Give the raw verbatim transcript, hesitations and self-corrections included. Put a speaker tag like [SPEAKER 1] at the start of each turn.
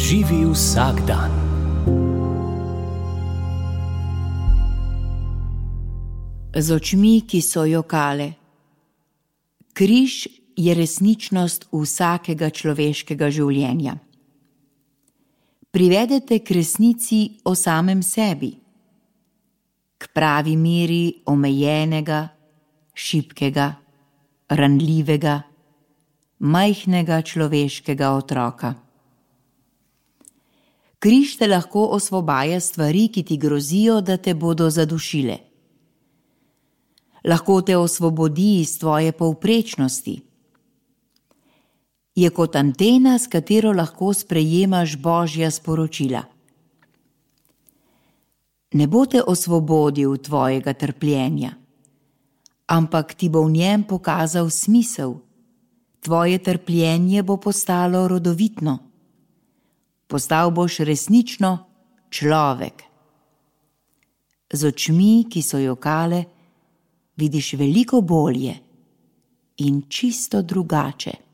[SPEAKER 1] Živi vsak dan.
[SPEAKER 2] Z očmi, ki so jokale. Križ je resničnost vsakega človeškega življenja. Privedete k resnici o samem sebi, k pravi meri omejenega, šibkega, ranljivega, majhnega človeškega otroka. Križ te lahko osvobaja stvari, ki ti grozijo, da te bodo zadušile. Lahko te osvobodi iz tvoje povprečnosti. Je kot antena, s katero lahko sprejemaš Božja sporočila. Ne bo te osvobodil tvojega trpljenja, ampak ti bo v njem pokazal smisel. Tvoje trpljenje bo postalo rodovitno. Postal boš resnično človek. Z očmi, ki so jokale, vidiš veliko bolje in čisto drugače.